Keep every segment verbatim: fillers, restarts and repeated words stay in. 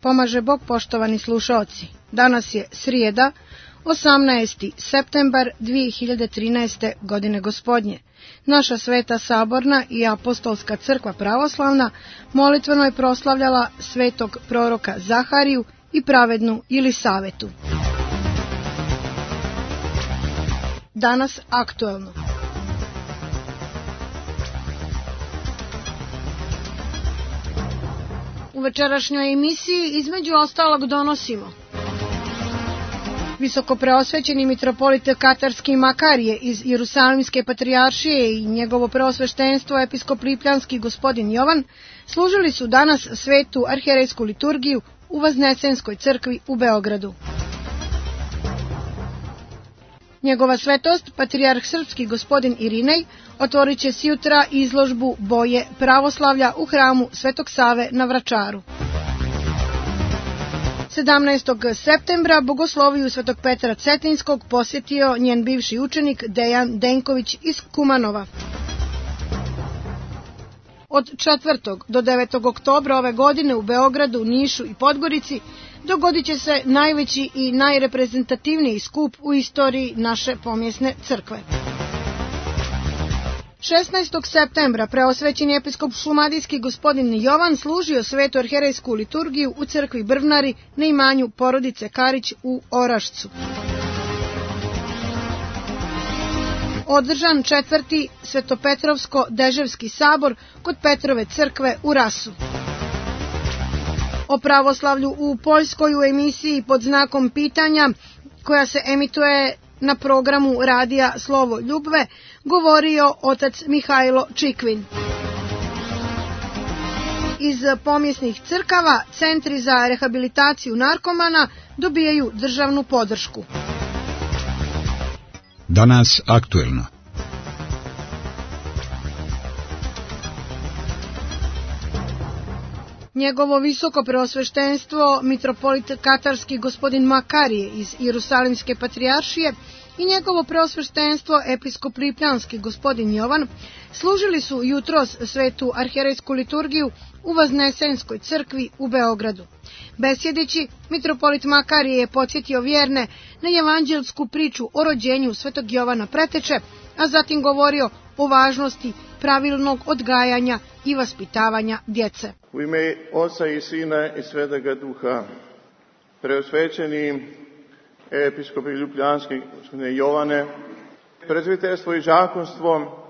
pomaže Bog, poštovani slušaoci. Danas je srijeda, osamnaesti septembar dve hiljade trinaeste. godine gospodnje. Naša Sveta Saborna i Apostolska crkva pravoslavna molitveno je proslavljala svetog proroka Zahariju i pravednu Jelisavetu. Danas aktuelno. U večerašnjoj emisiji između ostalog donosimo: visoko preosvećeni mitropolit Katarski Makarije iz Jerusalimske patrijaršije i njegovo preosveštenstvo episkop lipljanski gospodin Jovan služili su danas svetu arhijerejsku liturgiju u Vaznesenskoj crkvi u Beogradu. Njegova svetost, patrijarh srpski gospodin Irinej, otvorit će sjutra izložbu Boje pravoslavlja u hramu Svetog Save na Vračaru. sedamnaestog septembra bogosloviju Svetog Petra Cetinskog posjetio njen bivši učenik Dejan Denković iz Kumanova. Od četvrtog do devetog oktobra ove godine u Beogradu, Nišu i Podgorici dogodit će se najveći i najreprezentativniji skup u istoriji naše pomjesne crkve. šesnaestog septembra preosvećeni episkop šumadijski gospodin Jovan služio svetu arhijerejsku liturgiju u crkvi Brvnari na imanju porodice Karić u Orašcu. Održan četvrti Svetopetrovsko-deževski sabor kod Petrove crkve u Rasu. O pravoslavlju u Poljskoj u emisiji pod znakom pitanja, koja se emituje na programu radija Slovo Ljubve, govorio otac Mihajlo Čikvin. Iz pomjesnih crkava centri za rehabilitaciju narkomana dobijaju državnu podršku. Danas aktuelno. Njegovo visoko preosveštenstvo mitropolit Katarski gospodin Makarije iz Jerusalimske patrijaršije i njegovo preosveštenstvo episkop lipljanski gospodin Jovan služili su jutros svetu arhijerejsku liturgiju u Vaznesenskoj crkvi u Beogradu. Besjedeći, mitropolit Makarije je podsjetio vjerne na evanđelsku priču o rođenju svetog Jovana Preteče, a zatim govorio o važnosti pravilnog odgajanja i vaspitavanja djece. U ime Oca i Sina i Svetoga Duha, preosvećeni episkopi ljubljanski gospodine Jovane, prezviterstvo i žakonstvo,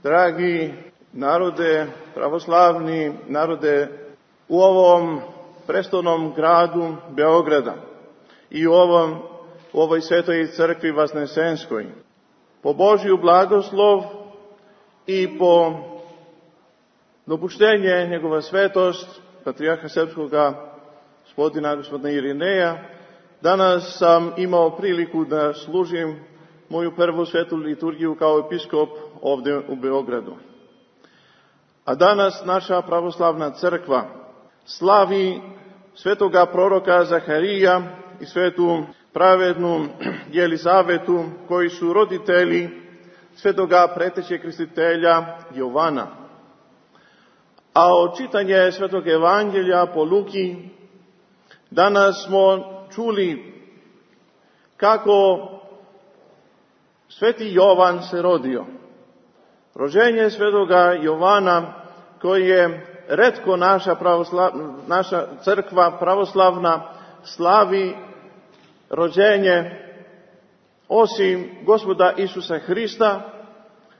dragi narode, pravoslavni narode u ovom prestolnom gradu Beograda i u, ovom, u ovoj svetoj crkvi Vaznesenskoj, po Božju blagoslov i po dopuštenje njegova svetost, patrijarha srpskoga gospodina gospodina Irineja, danas sam imao priliku da služim moju prvu svetu liturgiju kao episkop ovdje u Beogradu. A danas naša pravoslavna crkva slavi svetoga proroka Zaharija i svetu pravednu Jelisavetu, koji su roditelji svetoga preteće krstitelja Jovana. A od čitanja svetog evanđelja po Luki danas smo čuli kako sveti Jovan se rodio. Rođenje svetoga Jovana, koji je retko naša, naša crkva pravoslavna slavi rođenje osim Gospoda Isusa Hrista,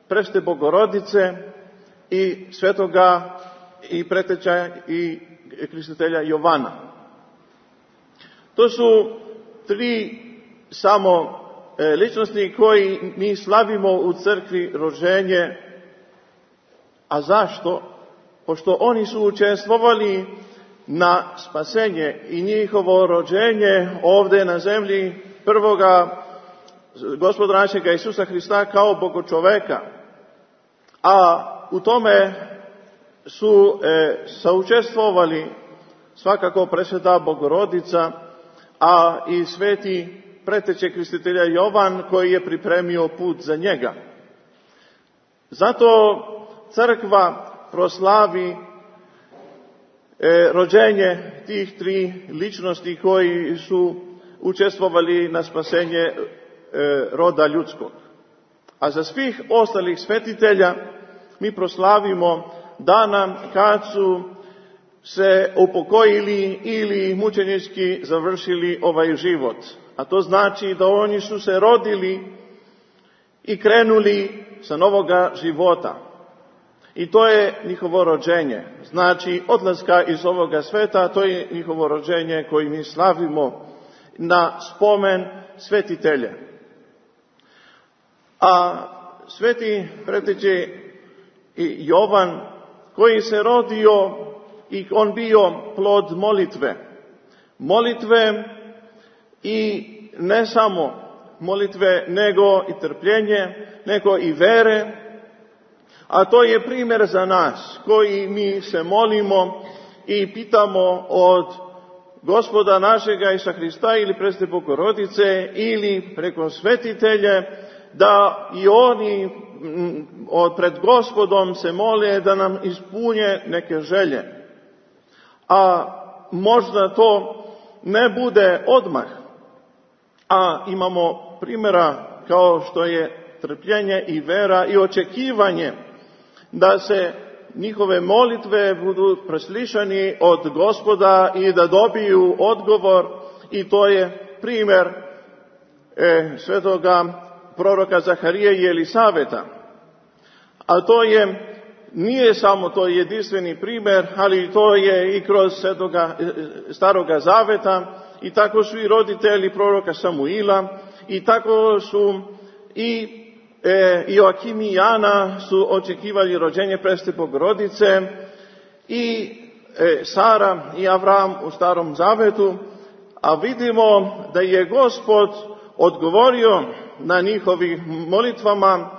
Preste Bogorodice i svetoga i preteča i krstitelja Jovana. To su tri samo e, ličnosti koji mi slavimo u crkvi rođenje. A zašto? Pošto oni su učestvovali na spasenje i njihovo rođenje ovdje na zemlji prvoga Gospoda našega Isusa Hrista kao Bogočoveka. A u tome su e, saučestvovali svakako presveta Bogorodica, a i sveti preteče krstitelja Jovan, koji je pripremio put za njega. Zato crkva proslavi e, rođenje tih tri ličnosti koji su učestvovali na spasenje e, roda ljudskog. A za svih ostalih svetitelja mi proslavimo dana kad su se upokojili ili mučenički završili ovaj život. A to znači da oni su se rodili i krenuli sa novoga života. I to je njihovo rođenje. Znači, odlaska iz ovoga sveta, to je njihovo rođenje koje mi slavimo na spomen svetitelje. A sveti preteče Jovan, koji se rodio i on bio plod molitve. Molitve i ne samo molitve, nego i trpljenje, nego i vere. A to je primjer za nas, koji mi se molimo i pitamo od Gospoda našega Isusa Hrista ili preste Bogorodice ili preko svetitelje, da i oni pred Gospodom se mole da nam ispunje neke želje. A možda to ne bude odmah, a imamo primjera kao što je trpljenje i vera i očekivanje da se njihove molitve budu preslišani od Gospoda i da dobiju odgovor, i to je primjer e, svetoga proroka Zaharije i Elisaveta. A to je, nije samo to jedinstveni primjer, ali to je i kroz svetoga staroga zaveta, i tako su i roditelji proroka Samuila, i tako su i E, Joakim i Jana su očekivali rođenje preste Bogorodice, i e, Sara i Avram u starom zavetu, a vidimo da je Gospod odgovorio na njihovim molitvama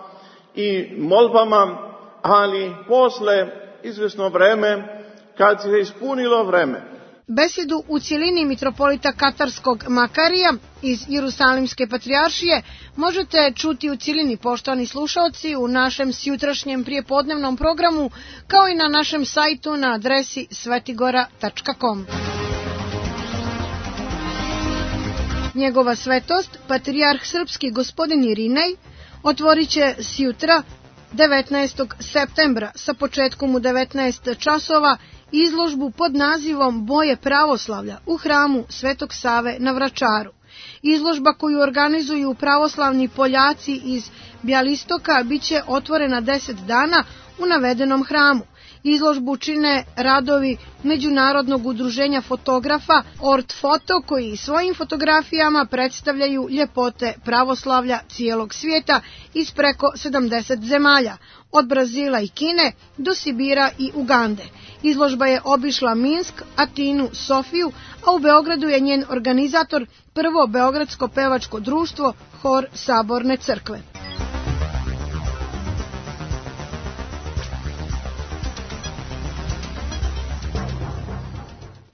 i molbama, ali posle izvesno vreme, kad se ispunilo vreme. Besedu u cjelini mitropolita Katarskog Makarija iz Jerusalimske patrijaršije možete čuti u cjelini, poštovani slušaoci, u našem sjutrašnjem prijepodnevnom programu, kao i na našem sajtu na adresi svetigora tačka com. Njegova svetost, patrijarh srpski gospodin Irinej, otvorit će sjutra devetnaestog septembra sa početkom u devetnaest časova izložbu pod nazivom Boje pravoslavlja u hramu Svetog Save na Vračaru. Izložba koju organizuju pravoslavni Poljaci iz Bjelistoka biće otvorena deset dana u navedenom hramu. Izložbu čine radovi Međunarodnog udruženja fotografa Ort Foto, koji svojim fotografijama predstavljaju ljepote pravoslavlja cijelog svijeta iz preko sedamdeset zemalja, od Brazila i Kine do Sibira i Ugande. Izložba je obišla Minsk, Atinu, Sofiju, a u Beogradu je njen organizator prvo beogradsko pevačko društvo Hor Saborne crkve.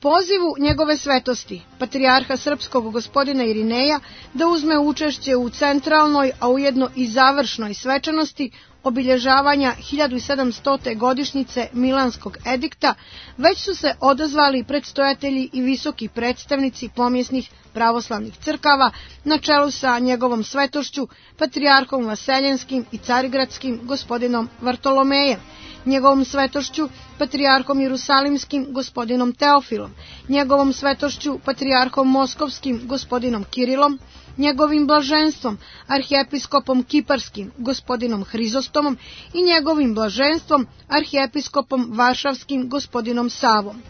Pozivu njegove svetosti, patrijarha srpskog gospodina Irineja, da uzme učešće u centralnoj, a ujedno i završnoj svečanosti obilježavanja hiljadu sedamstote godišnjice Milanskog edikta, već su se odazvali predstojatelji i visoki predstavnici pomjesnih pravoslavnih crkava na čelu sa njegovom svetošću, patrijarhom Vaseljenskim i Carigradskim gospodinom Vartolomejem, njegovom svetošću, patrijarhom Jerusalimskim gospodinom Teofilom, njegovom svetošću, patrijarhom Moskovskim gospodinom Kirilom, njegovim blaženstvom, arhijepiskopom Kiparskim gospodinom Hrizostomom i njegovim blaženstvom, arhijepiskopom Varšavskim gospodinom Savom.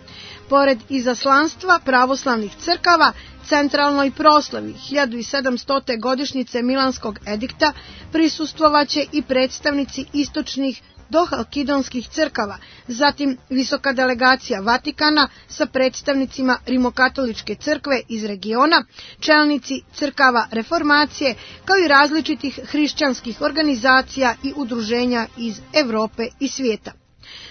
Pored izaslanstva pravoslavnih crkava, centralnoj proslavi hiljadu sedamstote godišnjice Milanskog edikta prisustvovaće i predstavnici istočnih dohalkidonskih crkava, zatim visoka delegacija Vatikana sa predstavnicima Rimokatoličke crkve iz regiona, čelnici crkava reformacije, kao i različitih hrišćanskih organizacija i udruženja iz Evrope i svijeta.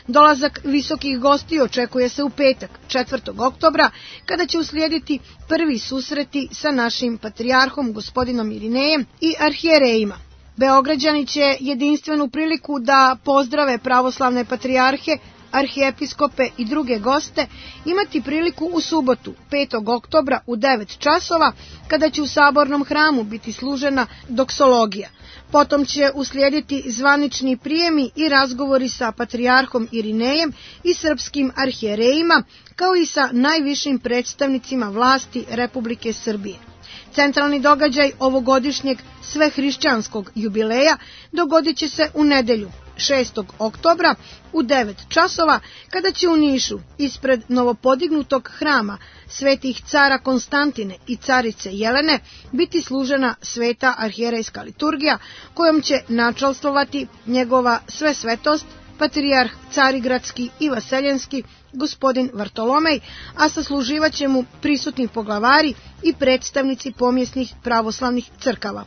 Dolazak visokih gostiju očekuje se u petak, četvrtog oktobra, kada će uslijediti prvi susreti sa našim patrijarhom gospodinom Irinejem i arhijerejima. Beograđani će jedinstvenu priliku da pozdrave pravoslavne patrijarhe arhijepiskope i druge goste imati priliku u subotu, petog oktobra u devet časova, kada će u Sabornom hramu biti služena doksologija. Potom će uslijediti zvanični prijemi i razgovori sa patrijarhom Irinejem i srpskim arhijerejima, kao i sa najvišim predstavnicima vlasti Republike Srbije. Centralni događaj ovogodišnjeg svehrišćanskog jubileja dogodit će se u nedelju, šestog oktobra u devet časova, kada će u Nišu ispred novopodignutog hrama svetih cara Konstantine i carice Jelene biti služena sveta arhijerejska liturgija, kojom će načalstvovati njegova svesvetost patrijarh Carigradski i Vaseljenski gospodin Vartolomej, a sasluživaće mu prisutni poglavari i predstavnici pomjesnih pravoslavnih crkava.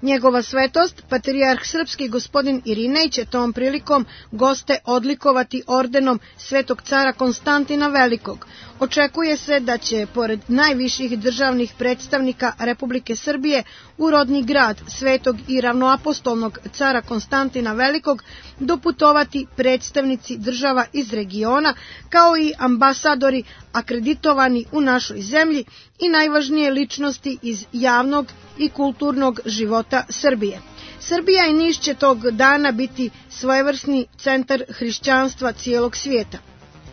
Njegova svetost, patrijarh srpski gospodin Irinej, će tom prilikom goste odlikovati ordenom svetog cara Konstantina Velikog. Očekuje se da će, pored najviših državnih predstavnika Republike Srbije, u rodni grad svetog i ravnoapostolnog cara Konstantina Velikog doputovati predstavnici država iz regiona, kao i ambasadori akreditovani u našoj zemlji i najvažnije ličnosti iz javnog i kulturnog života Srbije. Srbija i Niš će tog dana biti svojevrsni centar hrišćanstva cijelog svijeta.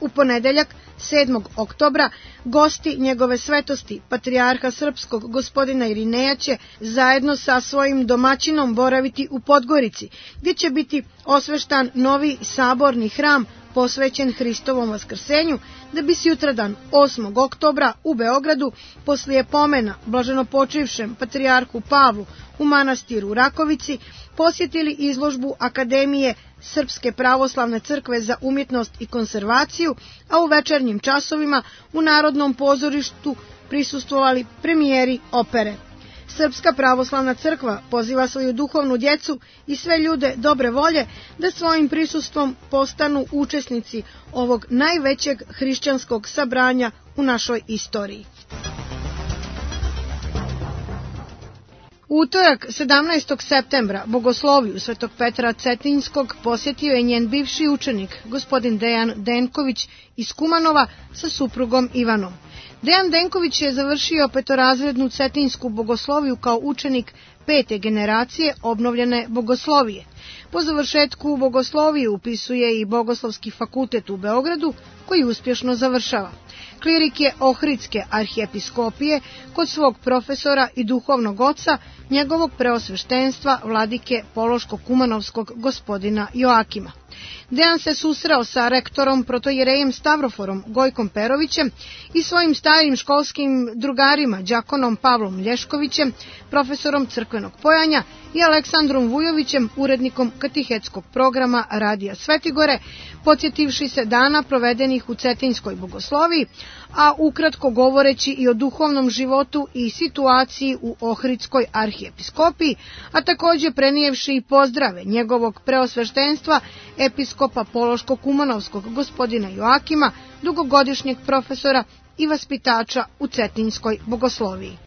U ponedeljak, sedmog oktobra, gosti njegove svetosti, patrijarha srpskog gospodina Irineja, će zajedno sa svojim domaćinom boraviti u Podgorici, gdje će biti osveštan novi saborni hram posvećen Hristovom vaskrsenju, da bi sutradan osmog oktobra u Beogradu, poslije pomena blaženopočivšem patrijarhu Pavlu u manastiru Rakovici, posjetili izložbu Akademije Srpske pravoslavne crkve za umjetnost i konzervaciju, a u večernjim časovima u Narodnom pozorištu prisustvovali premijeri opere. Srpska pravoslavna crkva poziva svoju duhovnu djecu i sve ljude dobre volje da svojim prisustvom postanu učesnici ovog najvećeg hrišćanskog sabranja u našoj istoriji. U utorak, sedamnaestog septembra, bogosloviju Svetog Petra Cetinjskog posjetio je njen bivši učenik, gospodin Dejan Denković iz Kumanova, sa suprugom Ivanom. Dejan Denković je završio petorazrednu cetinjsku bogosloviju kao učenik pete generacije obnovljene bogoslovije. Po završetku bogoslovije upisuje i Bogoslovski fakultet u Beogradu, koji uspješno završava. Klirik je Ohridske arhijepiskopije kod svog profesora i duhovnog oca, njegovog preosveštenstva vladike Pološko-Kumanovskog gospodina Joakima. Dejan se susreo sa rektorom protojerejem Stavroforom Gojkom Perovićem i svojim starim školskim drugarima đakonom Pavlom Lješkovićem, profesorom crkvenog pojanja, i Aleksandrom Vujovićem, urednikom katehetskog programa Radija Svetigore, podsjetivši se dana provedenih u Cetinjskoj bogosloviji, a ukratko govoreći i o duhovnom životu i situaciji u Ohridskoj arhijepiskopiji, a također prenijevši i pozdrave njegovog preosveštenstva episkopa Pološko-Kumanovskog gospodina Joakima, dugogodišnjeg profesora i vaspitača u Cetinjskoj bogosloviji.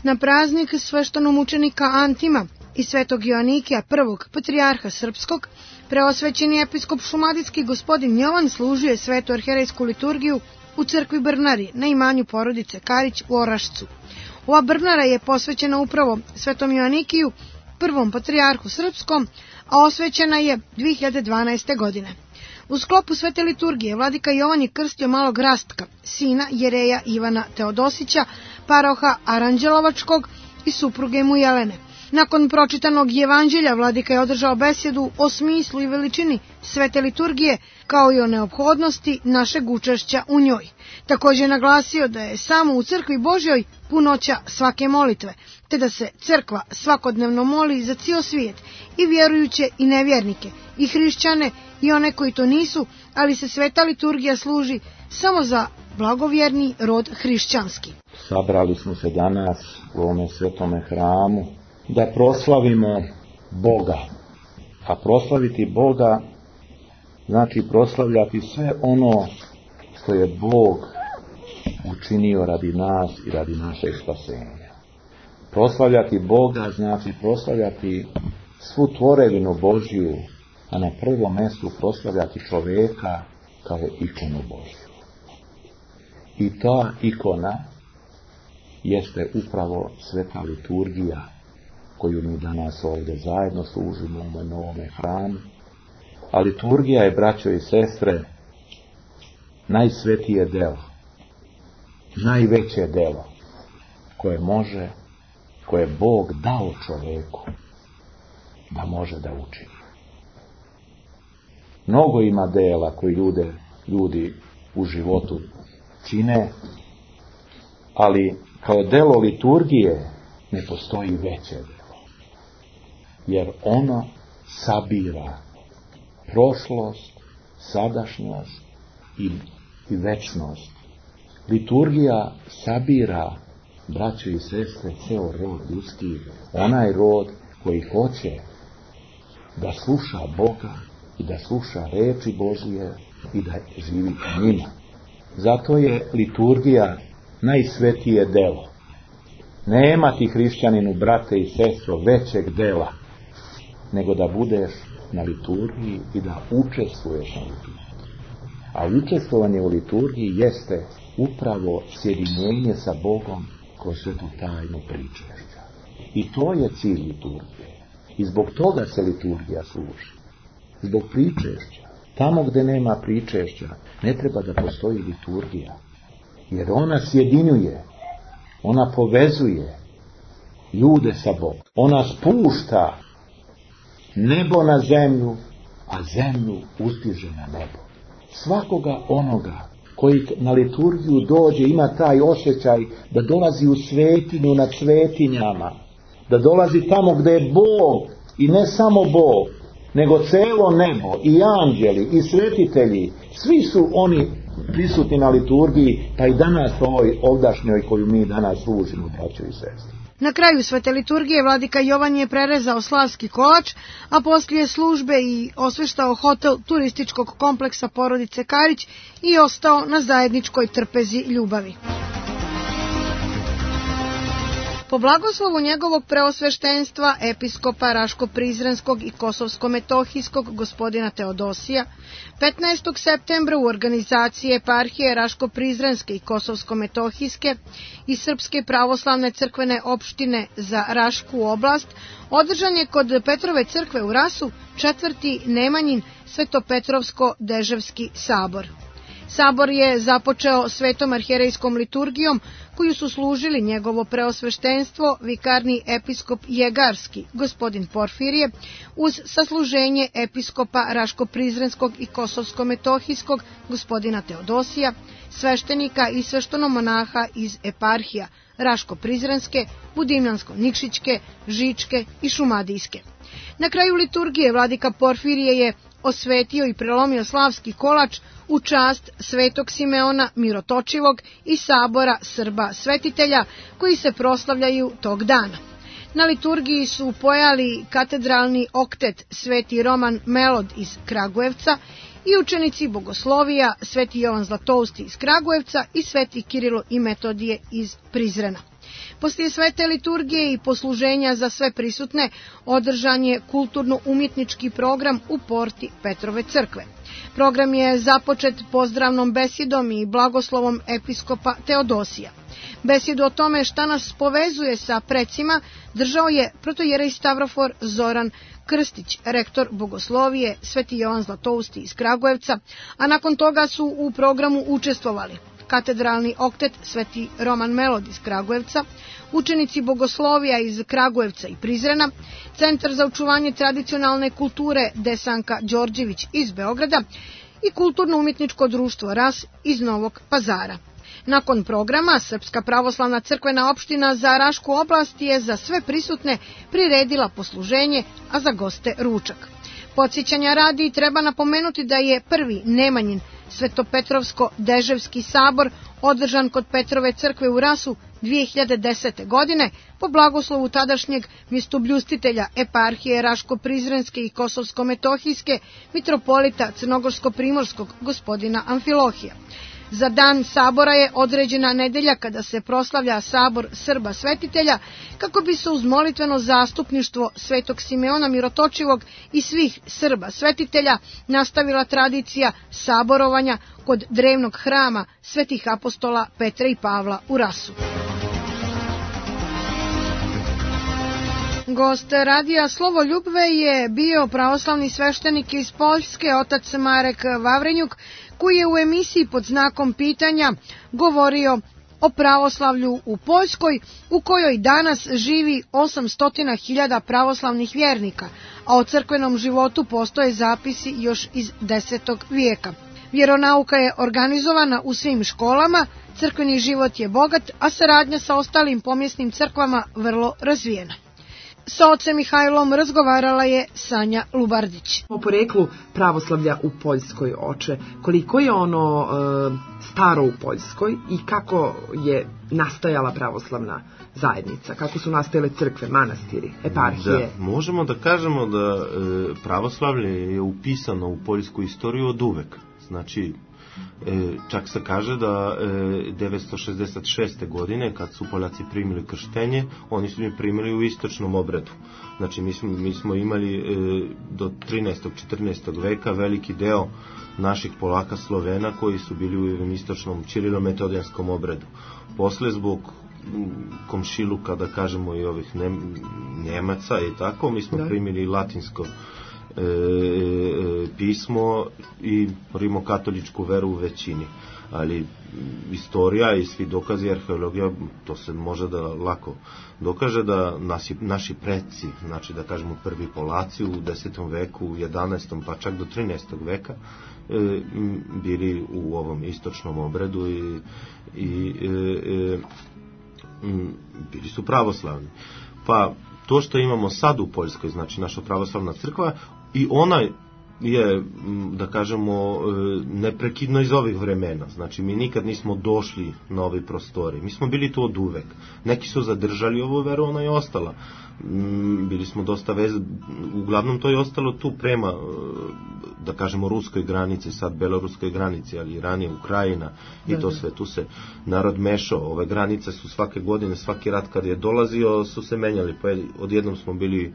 Na praznik sveštenomučenika Antima i svetog Joanikija, prvog patrijarha srpskog, preosvećeni episkop šumadijski gospodin Jovan služio je svetu arhijerejsku liturgiju u crkvi Brnari na imanju porodice Karić u Orašcu. Ova Brnara je posvećena upravo svetom Joanikiju, prvom patrijarhu srpskom, a osvećena je dvije hiljade dvanaeste. godine. U sklopu svete liturgije vladika Jovan je krstio malog Rastka, sina jereja Ivana Teodosića, paroha Aranđelovačkog i supruge mu Jelene. Nakon pročitanog evanđelja vladika je održao besjedu o smislu i veličini svete liturgije, kao i o neophodnosti našeg učešća u njoj. Također je naglasio da je samo u crkvi Božjoj punoća svake molitve, te da se crkva svakodnevno moli za cijel svijet, i vjerujuće i nevjernike, i hrišćane i one koji to nisu, ali se sveta liturgija služi samo za blagovjerni rod hrišćanski. Sabrali smo se danas u ovome svetome hramu da proslavimo Boga. A proslaviti Boga znači proslavljati sve ono što je Bog učinio radi nas i radi našeg spasenja. Proslavljati Boga znači proslavljati svu tvorevinu Božju, a na prvom mjestu proslavljati čovjeka kao ikonu Božju. I ta ikona jeste upravo sveta liturgija koju mi danas ovdje zajedno služimo u novome hramu. A liturgija je, braćo i sestre, najsvetije delo, najveće delo koje može, koje Bog dao čovjeku da može da učini. Mnogo ima dela koji ljude, ljudi u životu čine, ali kao delo liturgije ne postoji veće delo. Jer ono sabira prošlost, sadašnjost i, i večnost. Liturgija sabira, braćo i sestre, ceo rod ljudski, onaj rod koji hoće da sluša Boga i da sluša reči Božije i da živi u njima. Zato je liturgija najsvetije delo. Nema ti, hrišćaninu, brate i sestro, većeg dela nego da budeš na liturgiji i da učestvuješ na liturgiji. A učestvovanje u liturgiji jeste upravo sjedinjenje sa Bogom kroz svetu tajnu pričešća. I to je cilj liturgije. I zbog toga se liturgija služi. Zbog pričešća. Tamo gdje nema pričešća ne treba da postoji liturgija. Jer ona sjedinjuje, ona povezuje ljude sa Bogom. Ona spušta nebo na zemlju, a zemlju uzdiže na nebo. Svakoga onoga koji na liturgiju dođe ima taj osjećaj da dolazi u svetinju nad svetinjama, da dolazi tamo gdje je Bog i ne samo Bog, nego celo nebo i anđeli i svetitelji, svi su oni prisutni na liturgiji, pa i danas ovoj ovdašnjoj koju mi danas služimo, braćo i sestre. Na kraju svete liturgije vladika Jovan je prerezao slavski kolač, a poslije službe i osveštao hotel turističkog kompleksa porodice Karić i ostao na zajedničkoj trpezi ljubavi. Po blagoslovu njegovog preosveštenstva, episkopa Raško-Prizrenskog i Kosovsko-Metohijskog gospodina Teodosija, petnaestog septembra u organizaciji eparhije Raško-Prizrenske i Kosovsko-Metohijske i Srpske pravoslavne crkvene opštine za Rašku oblast, održan je kod Petrove crkve u Rasu četvrti Nemanjin Svetopetrovsko-Deževski sabor. Sabor je započeo svetom arhijerejskom liturgijom koju su služili njegovo preosveštenstvo, vikarni episkop Jegarski, gospodin Porfirije, uz sasluženje episkopa Raško-Prizrenskog i Kosovsko-Metohijskog, gospodina Teodosija, sveštenika i sveštenomonaha iz eparhija Raško-Prizrenske, Budimljansko-Nikšićke, Žičke i Šumadijske. Na kraju liturgije vladika Porfirije je osvetio i prelomio slavski kolač u čast svetog Simeona Mirotočivog i sabora Srba svetitelja koji se proslavljaju tog dana. Na liturgiji su pojali katedralni oktet sveti Roman Melod iz Kragujevca i učenici bogoslovija sveti Jovan Zlatousti iz Kragujevca i sveti Kirilo i Metodije iz Prizrena. Poslije svete liturgije i posluženja za sve prisutne održan je kulturno-umjetnički program u porti Petrove crkve. Program je započet pozdravnom besedom i blagoslovom episkopa Teodosija. Besedu o tome šta nas povezuje sa precima držao je protojerej Stavrofor Zoran Krstić, rektor bogoslovije sveti Jovan Zlatousti iz Kragujevca, a nakon toga su u programu učestvovali katedralni oktet sveti Roman Melod iz Kragujevca, učenici bogoslovija iz Kragujevca i Prizrena, Centar za očuvanje tradicionalne kulture Desanka Đorđević iz Beograda i Kulturno-umjetničko društvo Ras iz Novog Pazara. Nakon programa, Srpska pravoslavna crkvena opština za Rašku oblast je za sve prisutne priredila posluženje, a za goste ručak. Podsjećanja radi treba napomenuti da je prvi Nemanjin Svetopetrovsko-Deževski sabor održan kod Petrove crkve u Rasu dvije hiljade desete. godine po blagoslovu tadašnjeg mjestobljustitelja eparhije Raško-Prizrenske i Kosovsko-Metohijske mitropolita Crnogorsko-Primorskog gospodina Amfilohija. Za dan sabora je određena nedelja kada se proslavlja sabor Srba svetitelja, kako bi se uz molitveno zastupništvo Svetog Simeona Mirotočivog i svih Srba svetitelja nastavila tradicija saborovanja kod drevnog hrama svetih apostola Petra i Pavla u Rasu. Gost radija Slovoljubve je bio pravoslavni sveštenik iz Poljske, otac Marek Vavrenjuk, koji je u emisiji pod znakom pitanja govorio o pravoslavlju u Poljskoj, u kojoj danas živi osamsto hiljada pravoslavnih vjernika, a o crkvenom životu postoje zapisi još iz desetog vijeka. Vjeronauka je organizovana u svim školama, crkveni život je bogat, a saradnja sa ostalim pomjesnim crkvama vrlo razvijena. Sa ocem Mihajlom razgovarala je Sanja Lubardić. O poreklu pravoslavlja u Poljskoj, oče, koliko je ono e, staro u Poljskoj i kako je nastajala pravoslavna zajednica, kako su nastajale crkve, manastiri, eparhije? Da, možemo da kažemo da e, pravoslavlje je upisano u poljsku istoriju od uvek. Znači, E, čak se kaže da e, devetsto šezdeset šeste. godine, kad su Poljaci primili krštenje, oni su je primili u istočnom obredu. Znači, mi smo, mi smo imali e, do trinaestog četrnaestog veka veliki deo naših Polaka Slovena koji su bili u istočnom ćirilo-metodijanskom obredu. Posle, zbog komšiluka, da kažemo, i ovih Njemaca i tako, mi smo da. primili latinsko E, e, pismo i rimokatoličku veru u većini, ali istorija i svi dokazi, arheologija, to se može da lako dokaže da naši, naši preci, znači da kažemo prvi Polaci u desetom veku, u jedanaestom pa čak do trinaestog veka e, bili u ovom istočnom obredu i, i e, e, bili su pravoslavni. Pa to što imamo sad u Poljskoj, znači naša pravoslavna crkva, i ona je, da kažemo, neprekidno iz ovih vremena. Znači, mi nikad nismo došli na ove prostore. Mi smo bili tu od uvek. Neki su zadržali ovu veru, ona je ostala. Bili smo dosta vez... Uglavnom to je ostalo tu prema, da kažemo, ruskoj granici, sad beloruskoj granici, ali ranije Ukrajina i da, to sve. Tu se narod mešao. Ove granice su svake godine, svaki rat kad je dolazio, su se menjali. Pa odjednom smo bili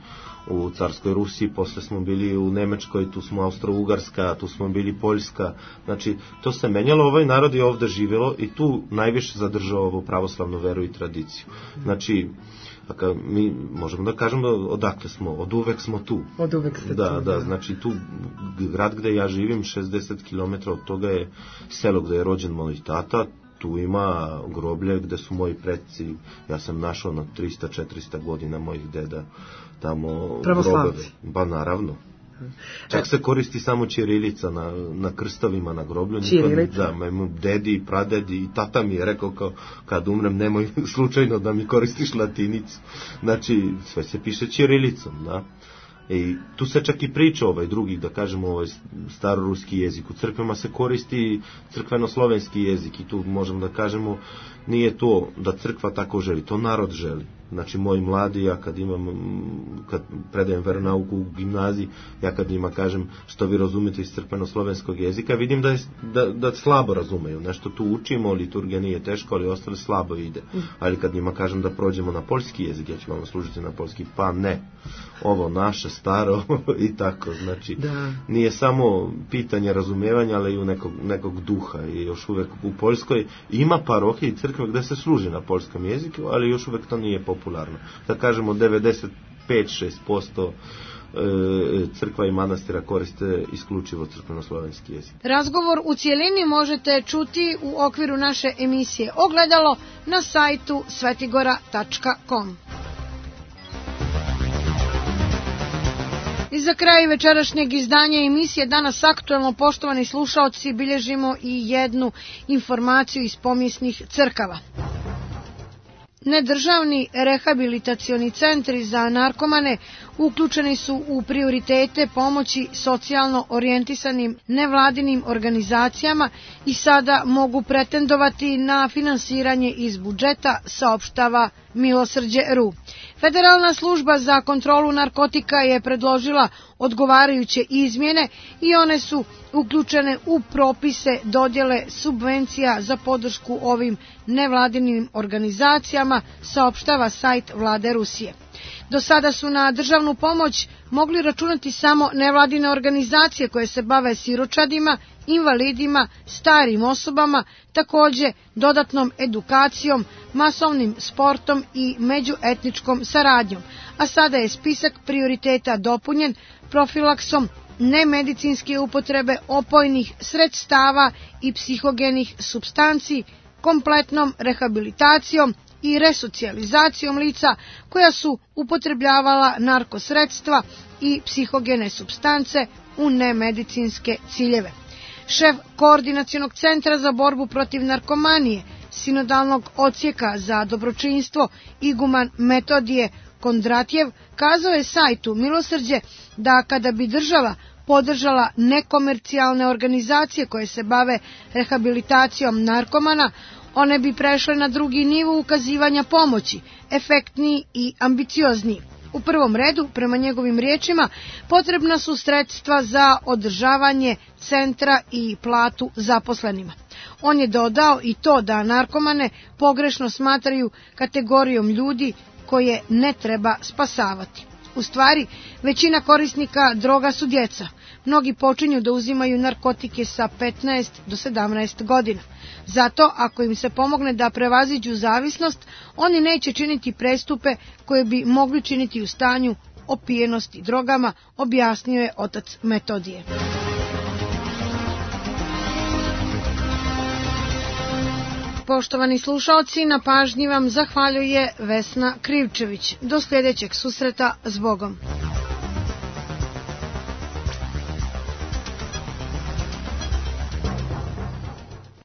u carskoj Rusiji, posle smo bili u Nemačkoj, tu smo Austro-Ugarska, tu smo bili Poljska. Znači, to se menjalo, ovaj narod je ovde živelo i tu najviše zadržao ovu pravoslavnu veru i tradiciju. Znači, Dakle, mi možemo da kažemo odakle smo, od uvek smo tu. Od uvek ste da, tu. Da, da, znači tu grad gde ja živim, šezdeset kilometara od toga je selo gde je rođen moj tata, tu ima groblje gde su moji preci, ja sam našao na trista četiristo godina mojih deda tamo grobove. Pa naravno. Čak se koristi samo ćirilica na, na krstovima, na groblju. Ćirilica? Da, moj dedi i pradedi i tata mi je rekao kao, kad umrem nemoj slučajno da mi koristiš latinicu. Znači, sve se piše ćirilicom, da. I tu se čak i priča ovaj drugi, da kažemo, ovaj staroruski jezik. U crkvama se koristi crkveno-slovenski jezik i tu možemo da kažemo, nije to da crkva tako želi, to narod želi. Znači, moji mladi, ja kad imam, kad predajem veronauku u gimnaziji, ja kad njima kažem što vi razumete iz crkveno-slovenskog jezika, vidim da, je, da, da slabo razumeju. Nešto tu učimo, liturgija nije teško, ali ostale slabo ide. Ali kad njima kažem da prođemo na poljski jezik, ja ću vam služiti na poljski, pa ne. Ovo naše, staro i tako. Znači, da. Nije samo pitanje razumevanja, ali i u nekog, nekog duha. I još uvek u Poljskoj ima parohije i crkve gde se služi na poljskom jeziku, ali još uvek to nije popularno. Da kažemo devedeset pet do šest posto crkva i manastira koriste isključivo crkveno-slovenski jezik. Razgovor u cijelini možete čuti u okviru naše emisije Ogledalo na sajtu svetigora tačka com. I za kraj večerašnjeg izdanja emisije Danas aktuelno, poštovani slušaoci, bilježimo i jednu informaciju iz pomjesnih crkava. Nedržavni rehabilitacioni centri za narkomane uključeni su u prioritete pomoći socijalno orijentisanim nevladinim organizacijama i sada mogu pretendovati na finansiranje iz budžeta, saopštava Milosrđe R U. Federalna služba za kontrolu narkotika je predložila odgovarajuće izmjene i one su uključene u propise dodjele subvencija za podršku ovim nevladinim organizacijama, saopštava sajt vlade Rusije. Do sada su na državnu pomoć mogli računati samo nevladine organizacije koje se bave siročadima, invalidima, starim osobama, takođe dodatnom edukacijom, masovnim sportom i međuetničkom saradnjom, a sada je spisak prioriteta dopunjen profilaksom nemedicinske upotrebe opojnih sredstava i psihogenih supstanci, kompletnom rehabilitacijom i resocijalizacijom lica koja su upotrebljavala narkosredstva i psihogene supstance u nemedicinske ciljeve. Šef Koordinacionog centra za borbu protiv narkomanije, sinodalnog odsjeka za dobročinstvo iguman Metodije Kondratjev, kazao je sajtu Milosrđe da kada bi država podržala nekomercijalne organizacije koje se bave rehabilitacijom narkomana, one bi prešle na drugi nivo ukazivanja pomoći, efektniji i ambiciozniji. U prvom redu, prema njegovim riječima, potrebna su sredstva za održavanje centra i platu zaposlenima. On je dodao i to da narkomane pogrešno smatraju kategorijom ljudi koje ne treba spasavati. U stvari, većina korisnika droga su djeca. Mnogi počinju da uzimaju narkotike sa petnaest do sedamnaest godina. Zato, ako im se pomogne da prevaziđu zavisnost, oni neće činiti prestupe koje bi mogli činiti u stanju opijenosti drogama, objasnio je otac Metodije. Poštovani slušaoci, na pažnji vam zahvaljuje Vesna Krivčević. Do sljedećeg susreta, s Bogom.